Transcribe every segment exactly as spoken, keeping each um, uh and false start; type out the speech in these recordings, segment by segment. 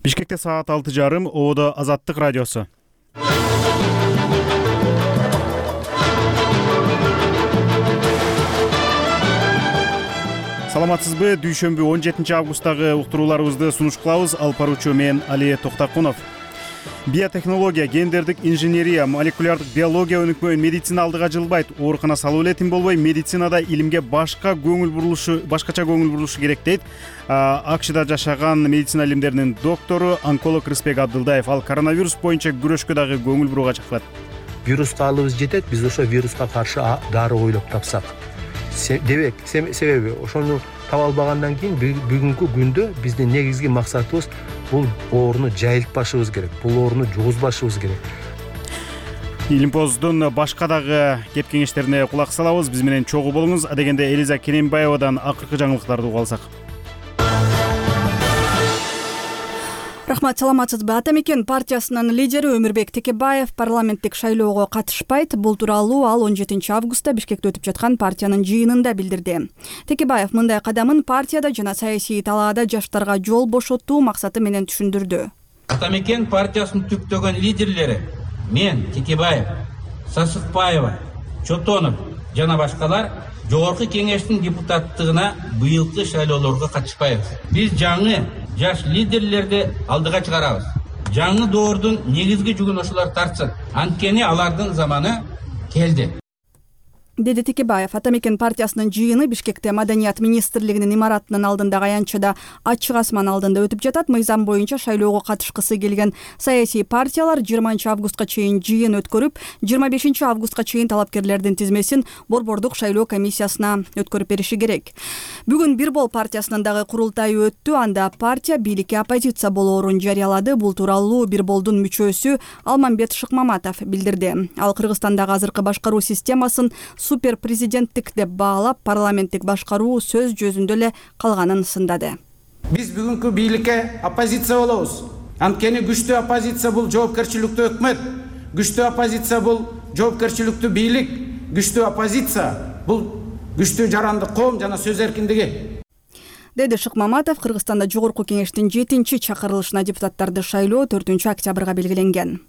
Бишкекте саат алты жарым, Ободо Азаттык радиосу. Саламатсызбы? Дүйшөмбү он жетинчи августтагы уктурууларыбызды сунуш кылабыз. Алып баруучу мен Алия Токтакунов. Биотехнология, гендердик инженерия, молекулярдык биология өнүкпөйүн медицина алдыга жылбайт. Оорукана салуу эле тим болбой, медицинада илимге башка көңүл бурулушу, башкача көңүл бурулушу керек дейт АКШда жашаган медицина илимдеринин доктору, онколог Рыспек Абдылдаев. Ал коронавирус боюнча күрөшкө дагы көңүл буруга чакырат. Вируска алыбыз жетет, биз ошо вируска каршы дары ойлоп тапсак. Дебек, себеби ошону таба албагандан кийин бүгүнкү күндө биздин негизги максатыбыз бул ооруну жайылтпашыбыз керек, бул ооруну жугузбашыбыз керек. Илимпоздун башка дагы кеп кеңештерине кулак салабыз. Биз менен чогуу болуңуз. Адегенде Элиза Керенбаевадан акыркы жаңылыктарды угуп алсак. Рахмат, саламатсызбы? Ата мекен партиясынын лидери Өмүрбек Текебаев парламенттик шайлоого катышпайт. Бул тууралуу ал он жетинчи августта Бишкекте өтүп жаткан партиянын жыйынында билдирди. Текебаев мындай кадамын партияда жана саясий талаада жаштарга жол бошотуу максаты менен түшүндүрдү. Ата мекен партиясынын түптөгөн лидерлери мен, Текебаев, Сасыкбаева, Чотонов жана башкалар жогорку кеңештин депутаттыгына быйылкы шайлоолорго катышпайбыз. Биз жаңы жаш лидерлерди алдыга чыгарабыз. Жаңы доордун негизги жүгүн ошолор тартсын. Анткени алардын заманы келди. Деди Текебаев. Ата мекен партиясынын жыйыны Бишкекте Маданият министрлигинин имаратынын алдындагы аянтчада ачык асман алдында өтүп жатат. Мыйзам боюнча шайлоого катышкысы келген саясий партиялар жыйырманчы августка чейин жыйын өткөрүп, жыйырма бешинчи августка чейин талапкерлердин тизмесин борбордук шайлоо комиссиясына өткөрүп бериши керек. Бүгүн Бир бол партиясынын дагы курултайы өттү. Анда партия бийликке оппозиция болоорун жарыялады. Бул тууралуу Бир болдун мүчөсү Алмамбет Шыкмаматов билдирди. Ал Кыргызстандагы азыркы башкаруу системасын супер президенттик деп баалап, парламенттик башкаруу сөз жүзүндө эле калганын сындады. Биз бүгүнкү бийликке оппозиция болобуз. Анткени күчтүү оппозиция бул жоопкерчиликтүү өкмөт, күчтүү оппозиция бул жоопкерчиликтүү бийлик, күчтүү оппозиция бул күчтүү жарандык коом жана сөз эркиндиги. Деди Шыкмаматов. Кыргызстанда жогорку кеңештин жетинчи чакырылышына депутаттарды шайлоо төртүнчү октябрга белгиленген.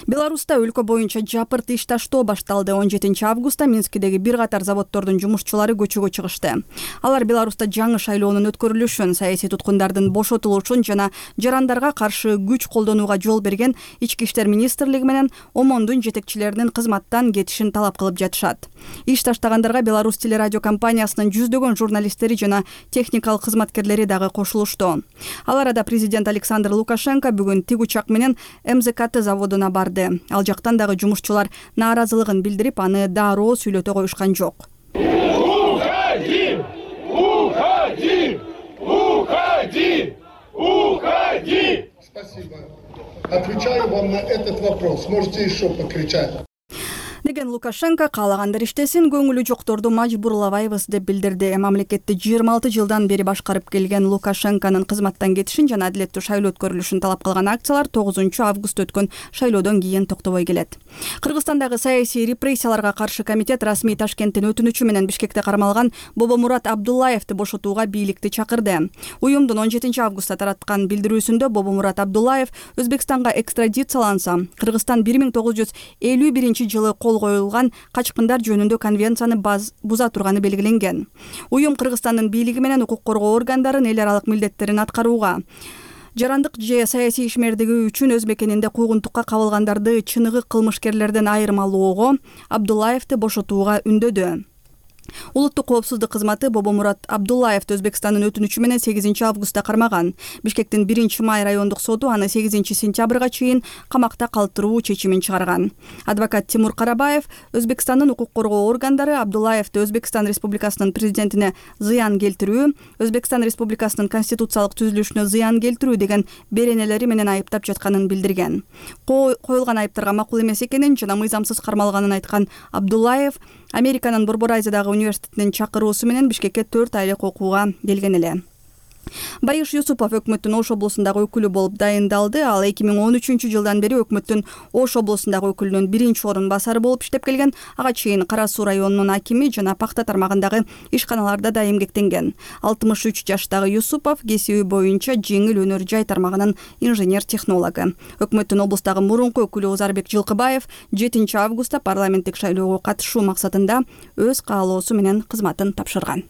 Беларуста өлкө боюнча жапырт иш таштоо башталды. он жетинчи августта Минскидеги бир катар заводдордун жумушчулары көчөгө чыгышты. Алар Беларуста жаңы шайлоонун өткөрүлүшүн, саясий туткундардын бошотулушун жана жарандарга каршы күч колдонууга жол берген Ички иштер министрлиги менен ОМОНдун жетекчилеринин кызматтан кетишин талап кылып жатышат. Иш таштагандарга Беларусь телерадио компаниясынын жүздөгөн журналисттери жана техникалык кызматкерлери дагы кошулушту. Ал арада президент Александр Лукашенко бүгүн тиг учак менен МЗКТ заводуна барды. Ал жактан дагы жумушчулар нааразылыгын билдирип, аны дароо сүйлөтө коюшкан жок. Уходи! Уходи! Уходи! Уходи! Спасибо. Отвечаю вам на этот вопрос. Можете еще покричать. Деген Лукашенко каалагандар иштесин, көңүлү жокторду мажбурлабайбыз деп билдирди. Мамлекетти жыйырма алты жылдан бери башкарып келген Лукашенконун кызматтан кетишин жана адилеттүү шайлоо өткөрүлүшүн талап кылган акциялар тогузунчу август өткөн шайлоодон кийин токтобой келет. Кыргызстандагы саясий репрессияларга каршы комитет расмий Ташкенттин өтүнүчү менен Бишкекте кармалган Бобомурат Абдуллаевди бошотууга бийликти чакырды. Уюмдун он жетинчи августта тараткан билдирүүсүндө Бобомурат Абдуллаев Өзбекстанга экстрадицияланса, Кыргызстан бир миң тогуз жүз элүү биринчи жылы кол коюлган качкындар жөнүндө конвенцияны буза турганы белгиленген. Уюм Кыргызстандын бийлиги менен укук коргоо органдарын эл аралык милдеттерин аткарууга, жарандык же саясий ишмердиги үчүн өз мекенинде куугунтукка кабылгандарды чыныгы кылмышкерлерден айырмалоого, Абдуллаевди бошотууга үндөдү. Улуттук коопсуздук кызматы Бобомурат Абдуллаевди Өзбекстандын өтүнүчү менен сегизинчи августта кармаган. Бишкектин биринчи май райондук соту аны сегизинчи сентябрга чейин камакта калтыруу чечимин чыгарган. Адвокат Тимур Карабаев Өзбекстандын укук коргоо органдары Абдуллаевди Өзбекстан Республикасынын президентине зыян келтирүү, Өзбекстан Республикасынын конституциялык түзүлүшүнө зыян келтирүү деген беренелери менен айыптап жатканын билдирген. Коюлган айыптарга макул эмес экенин жана мыйзамсыз кармалганын айткан Абдуллаев Американын Борбор Айзадагы университетинин чакыруусу менен Бишкекке төрт айлык окууга келген эле. Байыш Юсупов өкмөттүн Ош облусундагы өкүлү болуп дайындалды. Ал эки миң он үчүнчү жылдан бери өкмөттүн Ош облусундагы өкүлүнүн биринчи орун басары болуп иштеп келген. Ага чейин Кара Суу районунун акими жана пахта тармагындагы ишканаларда да эмгектенген. алтымыш үч жаштагы Юсупов кесиби боюнча жеңил өнөр жай тармагынын инженер-технологу. Өкмөттүн облустагы мурунку өкүлү Озарбек Жылкыбаев жетинчи августта парламенттик шайлоого катышуу максатында өз каалоосу менен кызматын тапшырган.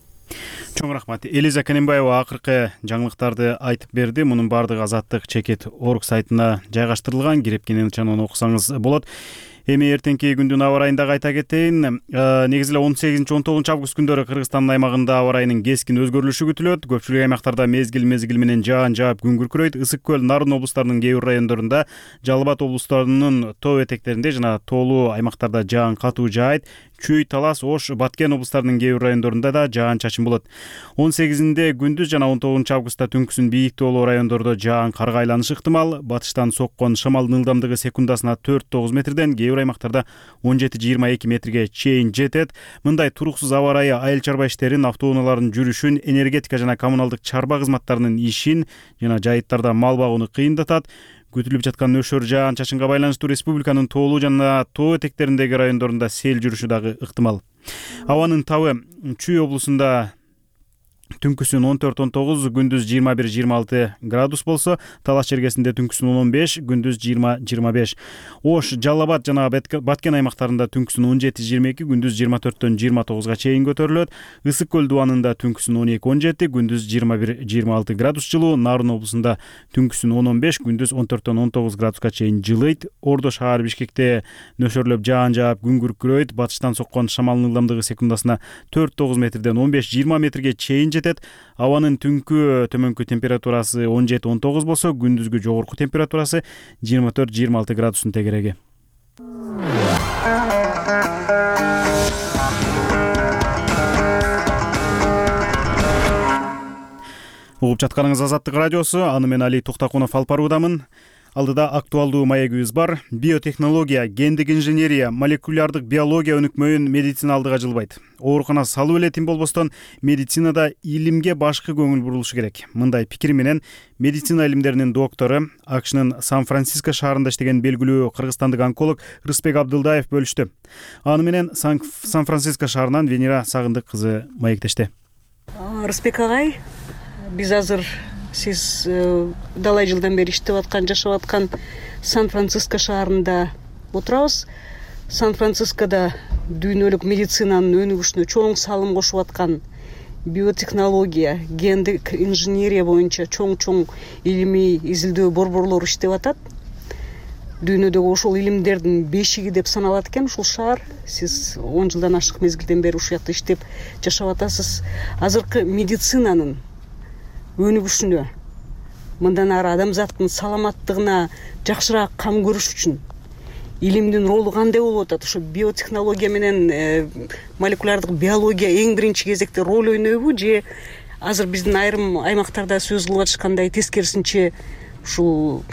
Чоң рахмат. Элиза Канембаева акыркы жаңылыктарды айтып берди. Мунун баардыгы Азаттык чекит орг сайтына жайгаштырылган. Кирип кенен ошону окусаңыз болот. Эми эртеңки күндүн аба райын дагы айта кетейин. Негизи эле он сегизинчи он тогузунчу август күндөрү Кыргызстандын аймагында аба райынын кескин өзгөрүлүшү күтүлөт. Көпчүлүк аймактарда мезгил мезгил менен жаан жаап күн күркүрөйт. Ысык көл, Нарын облустарынын кээ бир райондорунда, Жалал Абад облустарынын тоо этектеринде жана тоолуу аймактарда жаан катуу жаайт. Чүй, Талас, Ош, Баткен облустарынын кээ бир райондорунда да жаан чачын болот. он сегизинде күндүз жана он тогузунчу августта түнкүсүн бийик тоолуу райондордо жаан карга айланышы ыктымал. Батыштан соккон шамалдын ылдамдыгы секундасына төрт тогуз метрден, кээ бир аймактарда он жети жыйырма эки метрге чейин жетет. Мындай туруксуз аба ырайы айыл чарба иштерин, автоунаалардын жүрүшүн, энергетика жана коммуналдык чарба кызматтарынын ишин жана жайыттарда мал багууну кыйындатат. Күтүлүп жаткан нөшөр жаан чачынга байланыштуу республиканын тоолуу жана тоо этектериндеги райондорунда сел жүрүшү дагы ыктымал. Абанын табы Чүй облусунда түнкүсүн он төрт он тогуз, күндүз жыйырма бир жыйырма алты градус болсо, Талас чергесинде түнкүсүн он он беш, күндүз жыйырма жыйырма беш. Ош, Жалал Абад жана Баткен аймактарында түнкүсүн он жети жыйырма эки, күндүз жыйырма төрттөн жыйырма тогузга чейин көтөрүлөт. Ысык көл дубанында түнкүсүн он эки он жети, күндүз жыйырма бир жыйырма алты градус жылуу. Нарын облусунда түнкүсүн он он беш, күндүз он төрттөн он тогуз градуска чейин жылыйт. Ордо шаар Бишкекте нөшөрлөп жаан жаап күн күркүрөйт. Батыштан соккон шамалдын ылдамдыгы секундасына төрт тогуз метрден он беш жыйырма метрге чейин жетет. Абанын түнкү төмөнкү температурасы он жети он тогуз болсо, күндүзгү жогорку температурасы жыйырма төрт жыйырма алты градустун тегереги. Угуп жатканыңыз Азаттык радиосу, аны мен Али Токтакунов алып баруудамын. Алдыда актуалдуу маегибиз бар. Биотехнология, гендик инженерия, молекулярдык биология өнүкмөйүн медицина алдыга жылбайт. Оорукана салуу эле тим болбостон, медицинада илимге башкы көңүл бурулушу керек. Мындай пикир менен медицина илимдеринин доктору, АКШнын Сан-Франциско шаарында иштеген белгилүү кыргызстандык онколог Рыспек Абдылдаев бөлүштү. Аны менен Сан-Франциско шаарынан Венера Сагындык кызы маектешти. Рыспек агай, биз азыр сиз далай жылдан бери иштеп аткан, жашап аткан Сан-Франциско шаарында отурабыз. Сан-Францискода дүйнөлүк медицинанын өнүгүшүнө чоң салым кошуп аткан биотехнология, гендик инженерия боюнча чоң-чоң илимий изилдөө борборлор иштеп атат. Дүйнөдөгү ошол илимдердин бешиги деп саналат экен ушул шаар. Сиз он жылдан ашык мезгилден бери ушул жакта иштеп жашап атасыз. Азыркы медицинанын өнүгүшүнө, мындан ары адамзаттын саламаттыгына жакшыраак кам көрүш үчүн илимдин ролу кандай болуп атат? Ошо биотехнология менен э, молекулярдык биология эң биринчи кезекте роль ойнойбу, же азыр биздин айрым аймактарда сөз кылып атышкандай тескерисинче ушул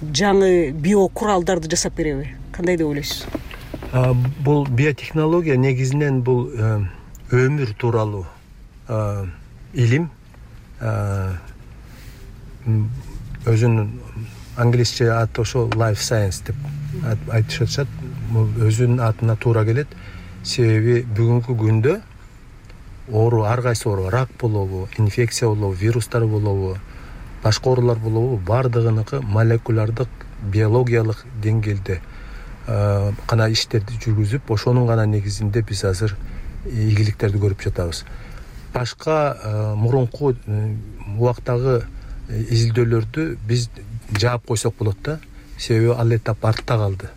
жаңы биокуралдарды жасап береби? Кандай деп ойлойсуз? Бул биотехнология негизинен бул өмүр тууралуу илим. Өзүнүн англисче аты ошо life science деп айтышып атышат. Бул өзүнүн атына туура келет. Себеби бүгүнкү күндө оору, ар кайсы оору, рак болобу, инфекция болобу, вирустар болобу, башка оорулар болобу, баардыгыныкы молекулярдык биологиялык деңгээлде гана иштерди жүргүзүп, ошонун гана негизинде биз азыр ийгиликтерди көрүп жатабыз. Башка мурунку убактагы изилдөөлөрдү биз жаап койсок болот да, себеби ал этап артта калды.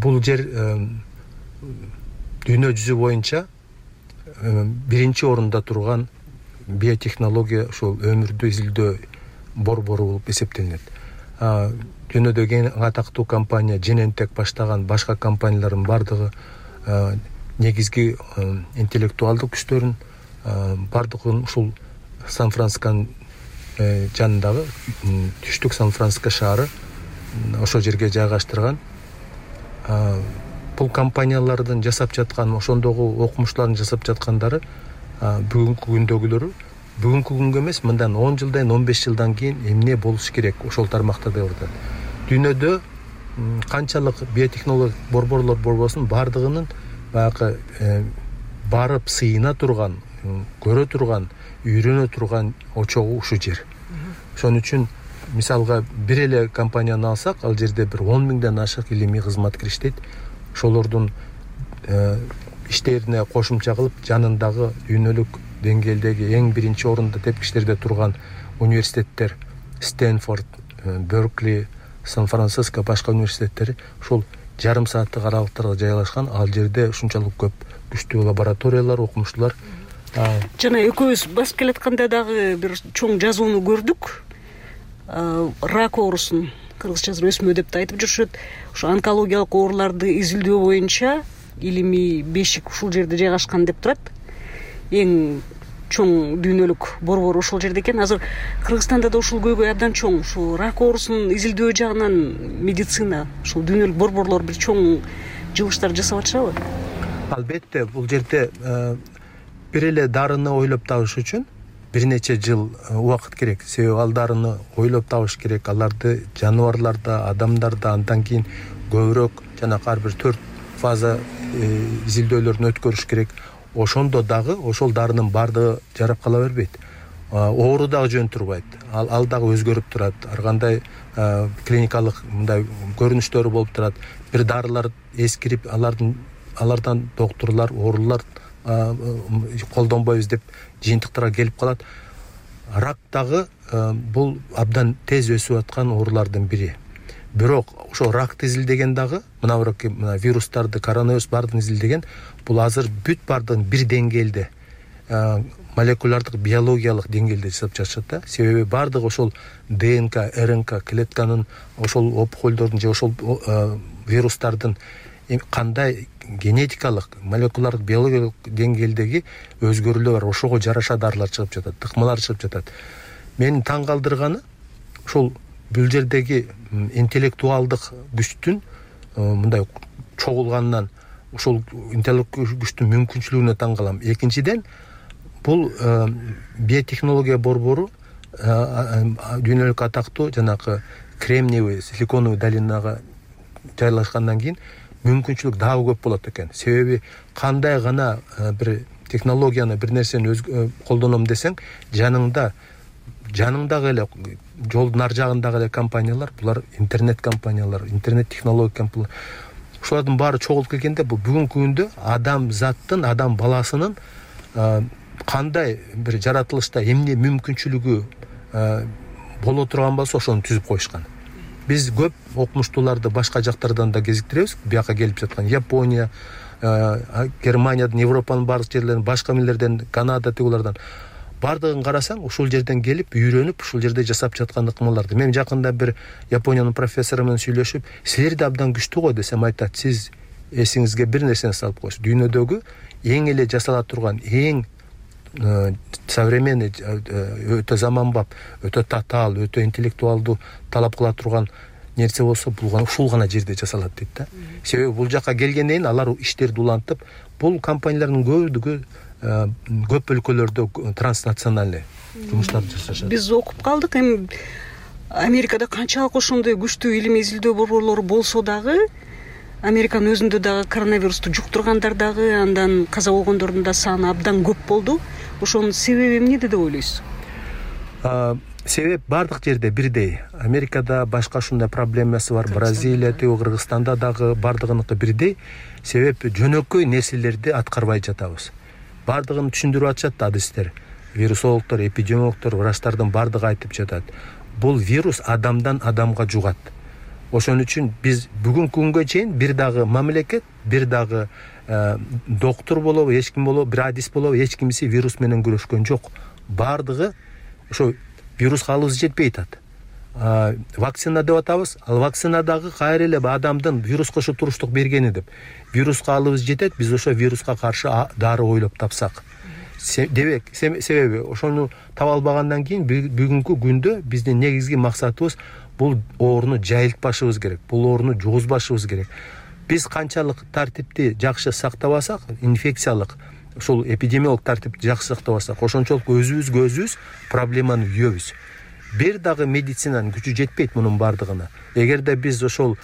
Бул жер дүйнө жүзү боюнча биринчи орунда турган биотехнология ушул өмүрдү изилдөө борбору болуп эсептелинет. Дүйнөдөгү эң атактуу компания Genentech баштаган башка компаниялардын баардыгы негизги интеллектуалдык күчтөрүн баардыгын ушул Сан-Францисконун жанындагы түштүк Сан-Франциско шаары ошол жерге жайгаштырган. Бул компаниялардын жасап жаткан, ошондогу окумуштуулардын жасап жаткандары бүгүнкү күндөгүлөрү бүгүнкү күнгө эмес, мындан он жылдан он беш жылдан кийин эмне болуш керек ошол тармакта деп атат. Дүйнөдө канчалык биотехнологиялык борборлор болбосун, бардыгынын баягы барып сыйына турган, көрө турган, үйрөнө турган очогу ушу жер. Ошон үчүн мисалга бир эле компанияны алсак, ал жерде бир он миңден ашык илимий кызматкер иштейт. Ошолордун иштерине кошумча кылып, жанындагы дүйнөлүк деңгээлдеги эң биринчи орунда тепкичтерде турган университеттер, Стэнфорд, Беркли, Сан-Франциско, башка университеттери ушул жарым сааттык аралыктарга жайгашкан. Ал жерде ушунчалык көп күчтүү лабораториялар, окумуштуулар. Жана экөөбүз басып келатканда дагы бир чоң жазууну көрдүк. Рак оорусун кыргызча өсмө деп да айтып жүрүшөт. Ушу онкологиялык ооруларды изилдөө боюнча илимий бешик ушул жерде жайгашкан деп турат. Эң чоң дүйнөлүк борбор ушул жерде экен. Азыр Кыргызстанда да ушул көйгөй абдан чоң. Ушул рак оорусун изилдөө жагынан медицина, ушул дүйнөлүк борборлор бир чоң жылыштар жасап атышабы? Албетте, бул жерде бир эле дарыны ойлоп табыш үчүн бир нече жыл убакыт керек. Себеби ал дарыны ойлоп табыш керек. Аларды жаныбарларда, адамдарда андан кийин көбүрөөк жана ар бир төрт фаза изилдөөлөрдөн өткөрүш керек. Ошондо дагы ошол дарынын бардыгы жарап кала бербейт. Оору дагы жөн турбайт. Ал, ал дагы өзгөрүп турат. Ар кандай клиникалык мындай көрүнүштөрү болуп турат. Бир дарылар эскирип, алардын алардан доктурлар, оорулар колдонбойбуз деп жыйынтыктарга келип калат. Рак дагы бул абдан тез өсүп аткан оорулардын бири. Бирок ошо ракты изилдеген дагы, мына мына вирустарды, коронавирус бардыгын изилдеген, бул азыр бүт бардыгын бир деңгээлде, молекулярдык биологиялык деңгээлде жасап жатышат да. Себеби бардыгы ошол ДНК, РНК клетканын, ошол опухолдордун же ошол вирустардын кандай генетикалык, молекулярдык биологиялык деңгээлдеги өзгөрүүлөр бар. Ошого жараша дарылар чыгып жатат, тыкмалар чыгып жатат. Мени таң калтырганы ошол бул жердеги интеллектуалдык күчтүн мындай чогулганынан, ошол интеллектуалдык күчтүн мүмкүнчүлүгүнө таң калам. Экинчиден, бул биотехнология борбору дүйнөлүк атактуу жанагы кремниевый, силиконовый долинага жайлашкандан кийин мүмкүнчүлүк дагы көп болот экен. Себеби кандай гана бир технологияны, бир нерсени колдоном десең, жаныңда жаныңдагы эле жолдун ар жагындагы эле компаниялар, булар интернет компаниялар, интернет технология компаниялар. Ушулардын баары чогулуп келгенде, бул бүгүнкү күндө адам заттын, адам баласынын кандай бир жаратылышта эмне мүмкүнчүлүгү боло турган болсо, ошону түзүп коюшкан. Биз көп окумуштууларды башка жактардан да кезиктиребиз. Бияка келип жаткан Япония, Германиядан, Европанын бардык жерлеринен, башка мелдерден, Канада тигулардан бардыгын карасаң, ушул жерден келип, үйрөнүп, ушул жерде жасап жаткан ыкмаларды. Мен жакында бир Япониянын профессору менен сүйлөшүп, силер да абдан күчтүү го десем, айтат, сиз эсиңизге бир нерсени салып коюңуз. Дүйнөдөгү эң эле жасала турган, эң современный, өтө заманбап, өтө татаал, өтө интеллектуалдуу талап кыла турган нерсе болсо, бул ушул гана жерде жасалат дейт да. Себеби бул жака келгенден кийин алар иштерди улантып, бул компаниялардын көбүдүгү көп өлкөлөрдө транснациональный жумуштарды жасашат. Биз окуп калдык, эми Америкада канчалык ошондой күчтүү илимий изилдөө борборлору болсо дагы, Американын өзүндө дагы коронавирусту жуктургандар дагы, андан каза болгондордун да саны абдан көп болду. Ошонун себеби эмнеде деп ойлойсуз? Себеп бардык жерде бирдей. Америкада башка ушундай проблемасы бар, Бразилия, Кыргызстанда дагы бардыгыныкы бирдей. Себеп жөнөкөй нерселерди аткарбай жатабыз. Бардыгын түшүндүрүп атышат да адистер. Вирусологдор, эпидемиологдор, врачтардын бардыгы айтып жатат. Бул вирус адамдан адамга жугат. Ошон үчүн биз бүгүнкү күнгө чейин бир дагы мамлекет, бир дагы доктор болобу, эч ким болобу, бир адис болобу, эч кимиси вирус менен күрөшкөн жок. Бардыгы ошо вируска алыбыз жетпей атат. Вакцина деп атабыз. Ал вакцина дагы кайра эле адамдын вируска ошо туруштук бергени деп. Вируска алыбыз жетет, биз ошо вируска каршы дары ойлоп тапсак. Дебек, себеби ошону таба албагандан кийин бүгүнкү күндө биздин негизги максатыбыз бул ооруну жайылтпашыбыз керек. Бул ооруну жугузбашыбыз керек. Биз канчалык тартипти жакшы сактабасак, инфекциялык ошол эпидемиологдук тартипти жакшы сактап алсак, ошончолук өзүбүзгө өзүбүз проблеманы үйөбүз. Бир дагы медицинанын күчү жетпейт мунун бардыгына. Эгерде биз ошол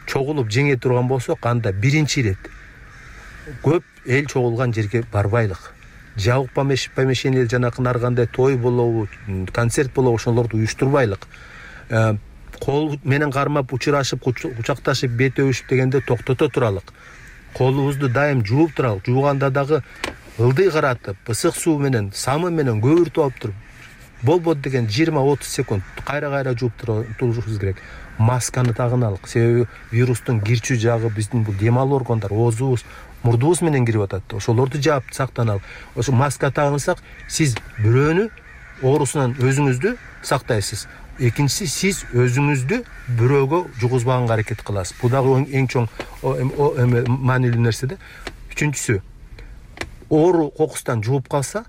чогулуп жеңе турган болсок, анда биринчи ирет көп эл чогулган жерге барбайлык. Жабык помещение, жанакы ар кандай той болобу, концерт болобу, ошолорду уюштурбайлык. Кол менен кармап, учурашып, кучакташып, бет өбүшүп дегенде токтото туралык. Колубузду дайым жууп туралык. Жууганда дагы ылдый каратып, ысык суу менен, самы менен көбүртүп алып туруп, болбойт деген жыйырма отуз секунд кайра-кайра жууп турушубуз керек. Масканы тагыналык. Себеби вирустун кирчү жагы биздин бул дем алуу органдар, оозубуз, мурдубуз менен кирип атат. Ошолорду жаап сактаналык. Ошо маска тагынсак, сиз бирөөнү оорусунан өзүңүздү сактайсыз. Экинчиси, сиз өзүңүздү бирөөгө жугузбаганга аракет кыласыз. Бул дагы эң чоң маанилүү нерсе да. Үчүнчүсү, оору кокустан жууп калса,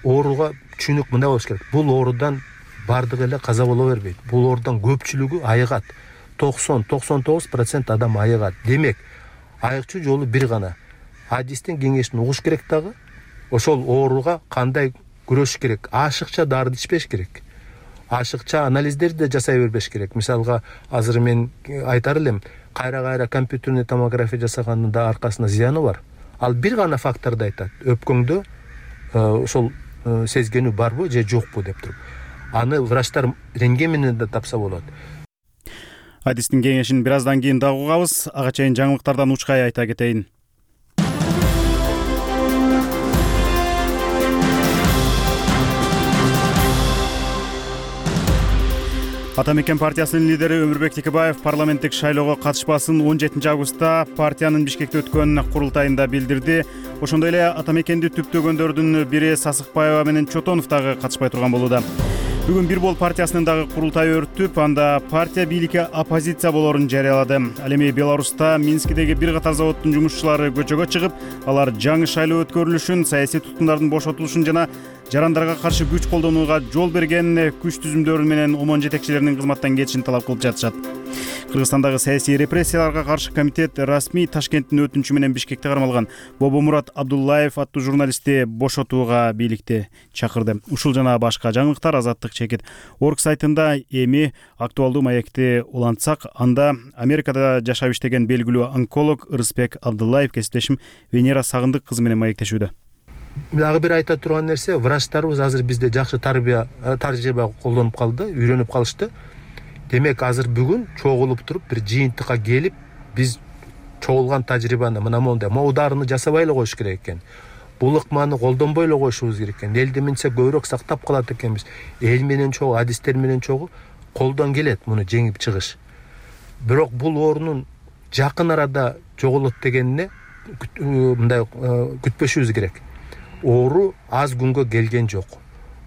ооруга түшүнүк мындай болуш керек. Бул оорудан бардыгы эле каза боло бербейт. Бул оорудан көпчүлүгү айыгат. токсон токсон тогуз процент адам айыгат. Демек, айыкчу жолу бир гана. Адистин кеңешин угуш керек дагы. Ошол ооруга кандай күрөшүш керек? Ашыкча дарды ичпеш керек. Ашыкча анализдерди да жасай бербеш керек. Мисалга, азыр мен айтар элем, кайра-кайра компьютерный томография жасаганын да аркасында зыяны бар. Ал бир гана факторду айтат. Өпкөңдө ошол сезгенүү барбы же жокпу деп туруп. Аны врачтар рентген менен да тапса болот. Адистин кеңешин бир аздан кийин дагы угабыз. Ага чейин жаңылыктардан учкай айта кетейин. Ата мекен партиясынын лидери Өмүрбек Текебаев парламенттик шайлоого катышпасын он жетинчи августта партиянын Бишкекте өткөн курултайында билдирди. Ошондой эле ата мекенди түптөгөндөрдүн бири Сасыкбаева менен Чотонов дагы катышпай турган болууда. Бүгүн Бир Бол партиясынын дагы курултайы өтүп, анда партия бийликке оппозиция болорун жарыялады. Ал эми Беларуста Минскидеги бир катар заводдун жумушчулары көчөгө чыгып, алар жаңы шайлоо өткөрүлүшүн, саясий туткундардын бошотулушун жана жарандарга каршы күч колдонууга жол берген күч түзүмдөрү менен омон жетекчилеринин кызматтан кетишин талап кылып жатышат. Кыргызстандагы саясий репрессияларга каршы комитет расмий Ташкенттин өтүнүчү менен Бишкекте кармалган Бобомурат Абдуллаев аттуу журналистти бошотууга бийликти чакырды. Ушул жана башка жаңылыктар Азаттык чекит орг сайтында эми актуалдуу маекти улантсак, анда Америкада жашап иштеген белгилүү онколог Ырысбек Абдуллаев кесиптешим Венера Сагындык кызы менен маектешүүдө. Дагы бир айта турган нерсе, врачтарыбыз азыр бизде жакшы тарбия тажрыйба колдонуп калды, үйрөнүп калышты. Демек, азыр бүгүн чогулуп туруп бир жыйынтыкка келип, биз чогулган тажрыйбаны мына мондай моударыны жасабай эле коюш керек экен. Бул ыкманы колдонбой эле коюшубуз керек экен. Элди минсе көбүрөөк сактап калат экенбиз. Эл менен чогуу, адистер менен чогуу колдон келет муну жеңип чыгыш. Бирок бул оорунун жакын арада жоголот дегенине мындай күтпөшүбүз керек. Оору аз күнгө келген жок.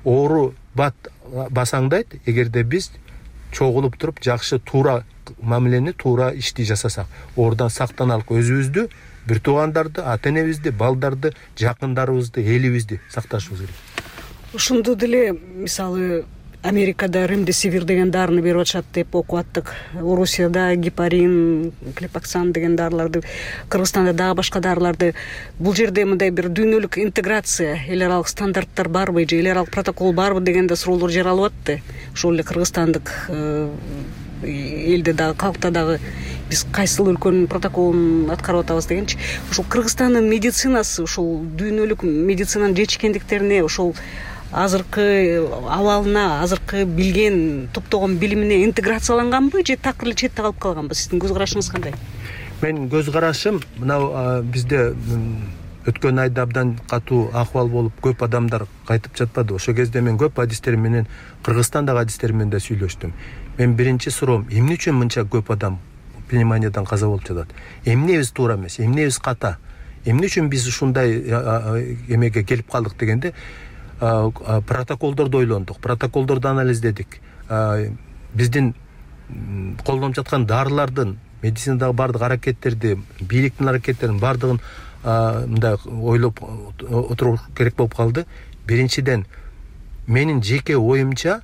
Оору бат басаңдайт, эгерде биз чогулуп туруп жакшы туура мамилени, туура ишти жасасак. Оорудан сактаналык, өзүбүздү, бир туугандарды, ата-энебизди, балдарды, жакындарыбызды, элибизди сакташыбыз керек. Ушунду деле мисалы Америкада ремдесивир деген дарыны берип атышат деп окуп аттык. Орусияда гепарин, клепаксан деген дарыларды, Кыргызстанда дагы башка дарыларды. Бул жерде мындай бир дүйнөлүк интеграция, эл аралык стандарттар барбы же эл аралык протокол барбы дегенде суроолор жаралып атты. Ошол эле кыргызстандык элде дагы, калкта дагы биз кайсыл өлкөнүн протоколун аткарып атабыз дегенчи. Ошол Кыргызстандын медицинасы, ошол дүйнөлүк медицинанын жетишкендиктерине, ошол азыркы абалына, азыркы билген, топтогон билимине интеграцияланганбы же такыр эле четте калып калганбы? Сиздин көз карашыңыз кандай? Мен көз карашым, мына бизде өткөн айда абдан катуу акыбал болуп, көп адамдар кайтып жатпады. Ошол кезде мен көп адистер менен, Кыргызстандагы адистер менен да сүйлөштүм. Мен биринчи суроом, эмне үчүн мынча көп адам пневмониядан каза болуп жатат? Эмнебиз туура эмес, эмнебиз ката? Эмне үчүн биз ушундай эмеге келип калдык дегенде, протоколдорду ойлондук, протоколдорду анализдедик. Биздин колдонуп жаткан дарылардын, медицинадагы бардык аракеттерди, бийликтин аракеттерин бардыгын мындай ойлоп отуруш керек болуп калды. Биринчиден, менин жеке оюмча,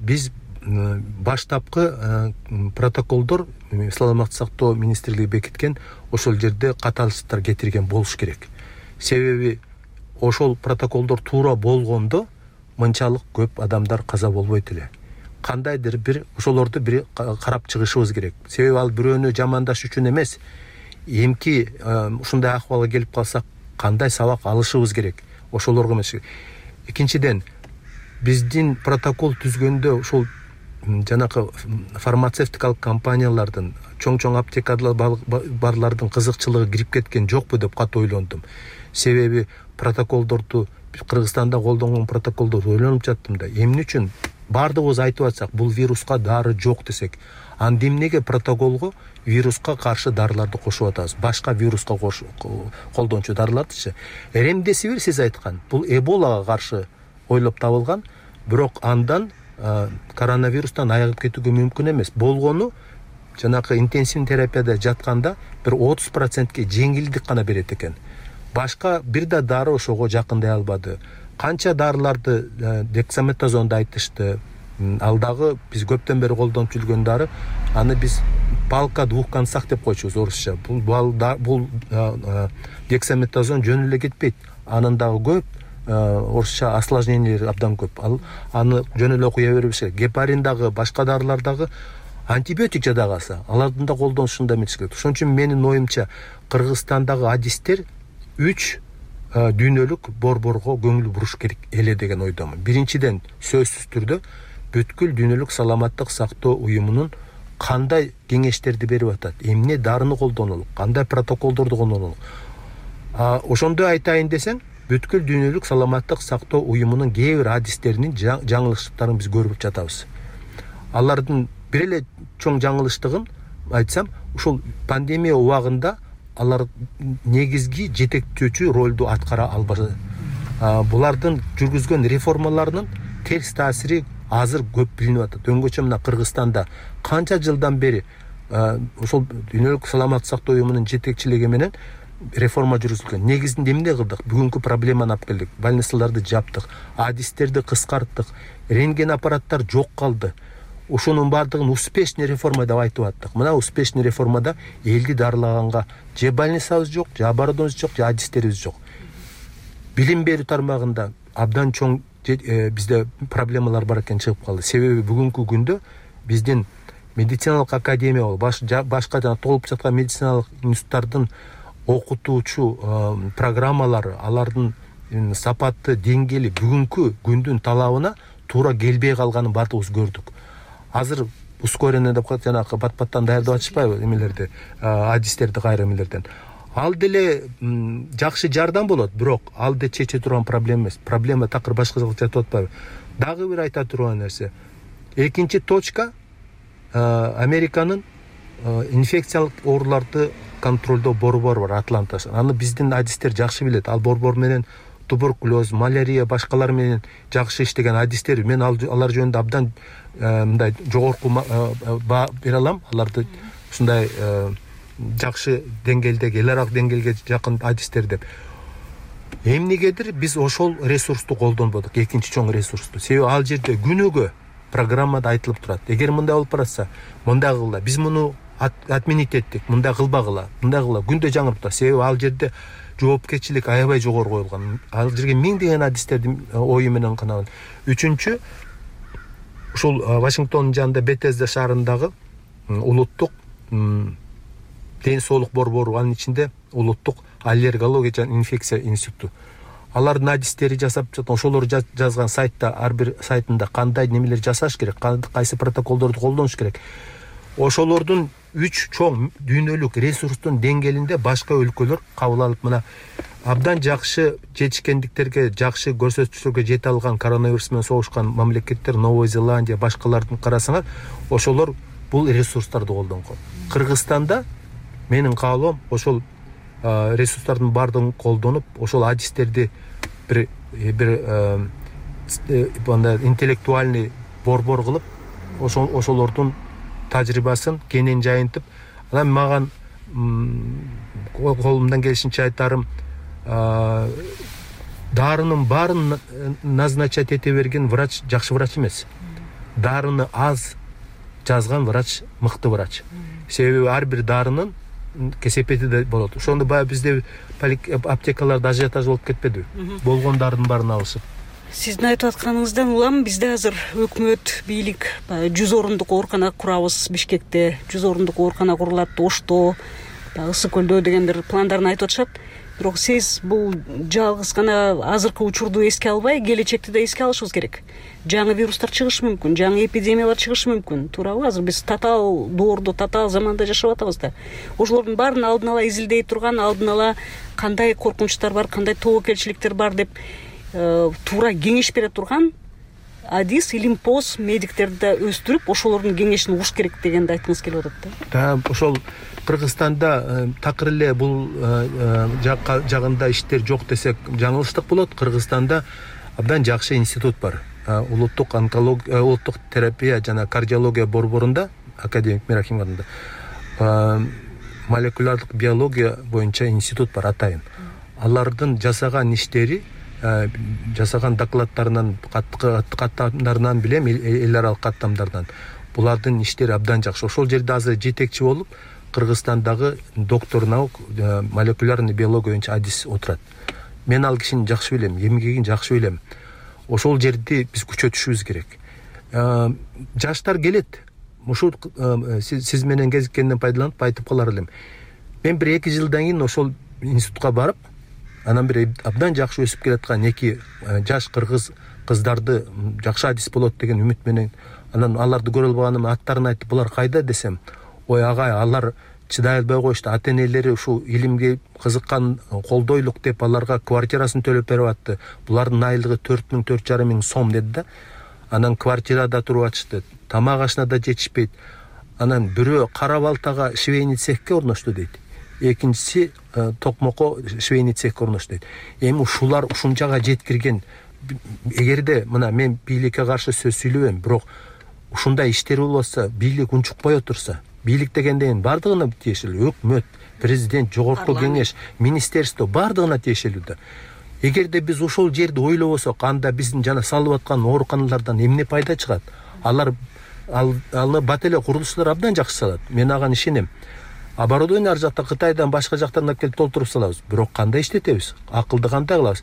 биз баштапкы протоколдор саламаттык сактоо министрлиги бекиткен, ошол жерде катаалчылыктар кетирген болуш керек. Себеби ошол протоколдор туура болгондо мынчалык көп адамдар каза болбойт эле. Кандайдыр бир ошолорду бир карап чыгышыбыз керек. Себеби ал бирөөнү жамандаш үчүн эмес, эмки ушундай акыбалга келип калсак кандай сабак алышыбыз керек, ошолорго эмес. Экинчиден, биздин протокол түзгөндө ошол жанакы фармацевтикалык компаниялардын, чоң-чоң аптекалар барлардын кызыкчылыгы кирип кеткен жокпу деп катуу ойлондум. Себеби протоколдорду Кыргызстанда колдонгон протоколдорду ойлонуп жаттым да. Эмне үчүн бардыгыбыз айтып атсак, бул вируска дары жок десек, анда эмнеге протоколго вируска каршы дарыларды кошуп атабыз? Башка вируска колдончу дарылардычы. Ремдесивир сиз айткан, бул эболага каршы ойлоп табылган, бирок андан коронавирустан айыгып кетүүгө мүмкүн эмес. Болгону жанакы интенсивдүү терапияда жатканда бир отуз процентке жеңилдик гана берет экен. Башка бир да дары ошого жакындай албады. Канча дарыларды дексаметазонду айтышты. Ал дагы биз көптөн бери колдонуп жүргөн дары, аны биз палка двух концах деп койчубуз орусча. Бул бул дексаметазон жөн эле кетпейт. Анын дагы көп орусча осложнениялери абдан көп. Ал аны жөн эле окуя бербеш керек. Гепарин дагы, башка дарылар дагы антибиотик жадагаса, алардын да колдонушунда эмес керек. Ошон үчүн менин оюмча Кыргызстандагы адистер үч дүйнөлүк борборго көңүл буруш керек эле деген ойдомун. Биринчиден, сөзсүз түрдө бүткүл дүйнөлүк саламаттык сактоо уюмунун кандай кеңештерди берип атат, эмне дарыны колдонолу, кандай протоколдорду колдонолу. Ошондой айтайын десең, бүткүл дүйнөлүк саламаттык сактоо уюмунун кээ бир адистеринин жаңылыштыктарын биз көрүп жатабыз. Алардын бир эле чоң жаңылыштыгын айтсам, ушул пандемия убагында алар негизги жетектөөчү ролду аткара албады. Булардын жүргүзгөн реформаларынын терс таасири азыр көп билинип атат. Өңгөчө мына Кыргызстанда канча жылдан бери ошол дүйнөлүк саламаттык сактоо уюмунун жетекчилиги менен реформа жүргүзүлгөн. Негизинде эмне кылдык? Бүгүнкү проблеманы алып келдик. Больницаларды жаптык, адистерди кыскарттык, рентген аппараттар жок калды. Ошонун бардыгын успешный реформа деп айтып аттык. Мына успешный реформада элди дарылаганга же больницабыз жок, же оборудованиябыз жок, же адистерибиз жок. Билим берүү тармагында абдан чоң бизде проблемалар бар экен чыгып калды. Себеби бүгүнкү күндө биздин медициналык академия болуп, башка жана толуп жаткан медициналык институттардын окутуучу программалары, алардын сапаты, деңгээли бүгүнкү күндүн талабына туура келбей калганын бардыгыбыз көрдүк. Азыр ускоренный деп коет, жанагы бат-баттан даярдап атышпайбы эмелерди, адистерди кайра эмелерден. Ал деле жакшы жардам болот, бирок ал да чече турган проблема эмес. Проблема такыр башка жакта жатып атпайбы? Дагы бир айта турган нерсе. Экинчи точка Американын инфекциялык ооруларды контролдоо борбору бар, Атланта. Аны биздин адистер жакшы билет. Ал борбор менен туберкулез, малярия, башкалар менен жакшы иштеген адистер. Мен алар жөнүндө абдан мындай жогорку баа бере алам. Аларды ушундай жакшы деңгээлдеги, эл аралык деңгээлге жакын адистер деп. Эмнегедир биз ошол ресурсту колдонбодук, экинчи чоң ресурсту. Себеби ал жерде күнүгө программада айтылып турат. Эгер мындай болуп баратса, мындай кыла. Биз муну отменить эттик, мындай кылбагыла, мындай кыла. Күндө жаңырып турат. Себеби ал жерде жоопкерчилик аябай жогору коюлган. Ал жерге миңдеген адистердин ою менен канаган. Үчүнчү, ушул Вашингтондун жанында Бетезда шаарындагы улуттук ден соолук борбору, анын ичинде улуттук аллергология жана инфекция институту. Алардын адистери жасап жаткан, ошолор жазган сайтта, ар бир сайтында кандай немелер жасаш керек, кайсы протоколдорду колдонуш керек. Ошолордун үч чоң дүйнөлүк ресурстун деңгээлинде башка өлкөлөр кабыл алып, мына абдан жакшы жетишкендиктерге, жакшы көрсөткүчтөргө жете алган коронавирус менен согушкан мамлекеттер, Новая Зеландия, башкалардын карасаңар, ошолор бул ресурстарды колдонгон. Кыргызстанда менин каалоом ошол ресурстардын бардыгын колдонуп, ошол адистерди бир бир мындай интеллектуальный борбор кылып, ошол ошолордун тажрыйбасын кенен жайынтып, анан маган колумдан келишинче айтарым, дарынын баарын назначать эте берген врач жакшы врач эмес. Дарыны аз жазган врач мыкты врач. Себеби ар бир дарынын кесепети да болот. Ошондо баягы бизде аптекаларда ажиотаж болуп кетпедиби? Болгондардын баарын алышып. Сиздин айтып атканыңыздан улам бизде азыр өкмөт, бийлик жүз орундук оорукана курабыз Бишкекте, жүз орундук оорукана курулат Ошто, Ысык көлдө деген бир пландарын айтып атышат. Бирок сиз бул жалгыз гана азыркы учурду эске албай, келечекти да эске алышыбыз керек. Жаңы вирустар чыгышы мүмкүн, жаңы эпидемиялар чыгышы мүмкүн. Туурабы? Азыр биз татаал доордо, татаал заманда жашап атабыз да. Ошолордун баарын алдын ала изилдей турган, алдын ала кандай коркунучтар бар, кандай тобокелчиликтер бар деп туура кеңеш бере турган адис, илимпоз медиктерди да өстүрүп, ошолордун кеңешин угуш керек дегенди айткыңыз келип атат да. Ошол Кыргызстанда такыр эле бул жагында иштер жок десек жаңылыштык болот. Кыргызстанда абдан жакшы институт бар. Улуттук онкология, улуттук терапия жана кардиология борборунда, академик Мерахим атында молекулярлык биология боюнча институт бар атайын. Алардын жасаган иштери, жасаган докладтарынан, каттамдарынан билем, эл аралык каттамдардан. Булардын иштери абдан жакшы. Ошол жерде азыр жетекчи болуп Кыргызстандагы доктор наук молекулярный биология боюнча адис отурат. Мен ал кишини жакшы билем, эмгегин жакшы билем. Ошол жерди биз күчөтүшүбүз керек. Жаштар келет. Ушул сиз менен кезиккенден пайдаланып айтып калар элем. Мен бир эки жылдан кийин ошол институтка барып, анан бир абдан жакшы өсүп келаткан эки жаш кыргыз кыздарды жакшы адис болот деген үмүт менен, анан аларды көрө албаганым аттарын айтып, булар кайда десем, ой агай, алар чыдай албай коюшту. Ата-энелери ушул илимге кызыккан, колдойлук деп аларга квартирасын төлөп берип атты. Булардын айлыгы төрт миң төрт жарым миң сом деди да. Анан квартирада туруп атышты. Тамак ашына да жетишпейт. Анан бирөө кара балтага швейный цехке орношту дейт. Экинчиси токмокко швейный цехке орношту дейт. Эми ушулар ушунчага жеткирген. Эгерде мына мен бийликке каршы сөз сүйлөбөйм, бирок ушундай иштер болбосо, бийлик унчукпай отурса, бийлик дегенден бардыгына тиешелүү, өкмөт, президент, жогорку кеңеш, министерство бардыгына тиешелүү да. Эгерде биз ошол жерди ойлобосок, анда биздин жана салып аткан ооруканалардан эмне пайда чыгат? Алар аны бат эле курулушчулар абдан жакшы салат. Мен ага ишенем. Оборудование ар жакта Кытайдан, башка жактан алып келип толтуруп салабыз. Бирок кандай иштетебиз? Акылды кандай кылабыз?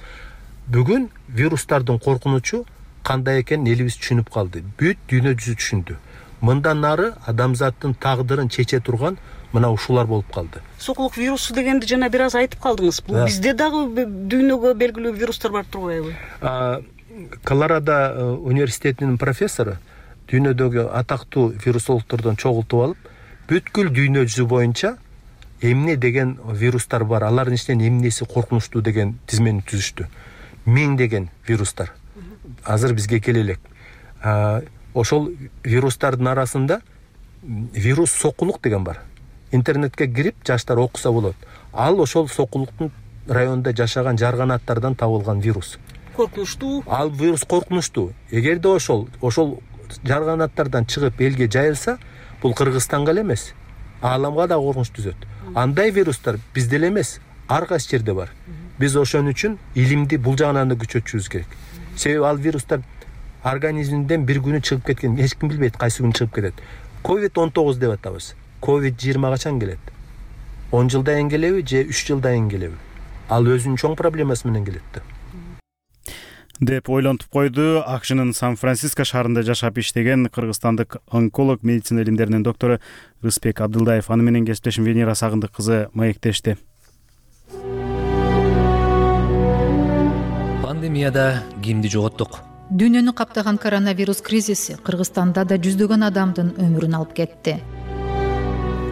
Бүгүн вирустардын коркунучу кандай экенин элибиз түшүнүп калды. Бүт дүйнө жүзү түшүндү. Мындан нары адамзаттын тагдырын чече турган мына ушулар болуп калды. Сокулук вирусу дегенди жана бир аз айтып калдыңыз. Бул бизде дагы дүйнөгө белгилүү вирустар бар турбайбы? Колорадо университетинин профессору дүйнөдөгү атактуу вирусологдордон чогултуп алып, бүткүл дүйнө жүзү боюнча эмне деген вирустар бар, алардын ичинен эмнеси коркунучтуу деген тизмени түзүштү. Миң деген вирустар азыр бизге келе элек. Ошол вирустардын арасында вирус сокулук деген бар. Интернетке кирип жаштар окуса болот. Ал ошол сокулуктун районунда жашаган жарганаттардан табылган вирус. Коркунучтуу. Ал вирус коркунучтуу. Эгерде ошол ошол жарганаттардан чыгып элге жайылса, бул Кыргызстанга эле эмес, ааламга да коркунуч түзөт. Андай вирустар бизде эле эмес, ар кайсы жерде бар. Биз ошон үчүн илимди бул жагынан да күчөтүшүбүз керек. Себеби ал вирустар организминден бир күнү чыгып кеткен, эч ким билбейт кайсы күнү чыгып кетет. ковид он тогуз деп атабыз. ковид жыйырма качан келет? он жылдан кийин келеби же үч жылдан кийин келеби? Ал өзүнүн чоң проблемасы менен келет да. деп ойлонтуп койду акшнын Сан-Франциско шаарында жашап иштеген кыргызстандык онколог, медицина илимдеринин доктору Рыспек Абдылдаев. Аны менен кесиптешим Венера Сагындык кызы маектешти. Пандемияда кимди жоготтук? Дүйнөнү каптаган коронавирус кризиси Кыргызстанда да жүздөгөн адамдын өмүрүн алып кетти.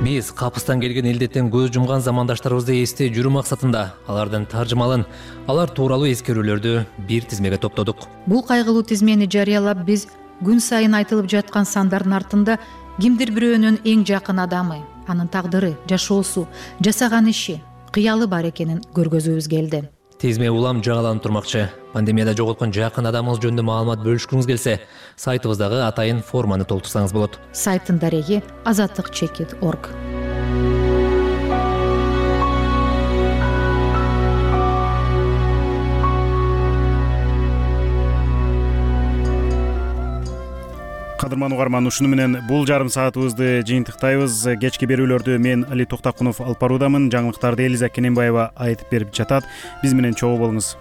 Биз капыстан келген илдеттен көз жумган замандаштарыбызды эстей жүрүү максатында алардын таржымалын, алар тууралуу эскерүүлөрдү бир тизмеге топтодук. Бул кайгылуу тизмени жарыялап биз күн сайын айтылып жаткан сандардын артында кимдир бирөөнүн эң жакын адамы, анын тагдыры, жашоосу, жасаган иши, кыялы бар экенин көргөзүүбүз келди. Тизме улам жаңаланып турмакчы. Пандемияда жоготкон жакын адамыңыз жөнүндө маалымат бөлүшкүңүз келсе, сайтыбыздагы атайын форманы толтурсаңыз болот. Сайттын дареги азаттык чекит точка орг. Кадырман угарман, ушуну менен бул жарым саатыбызды жыйынтыктайбыз. Кечки берүүлөрдү мен Али Токтакунов алып баруудамын. Жаңылыктарды Элиза Кененбаева айтып берип жатат. Биз менен чогуу болуңуз.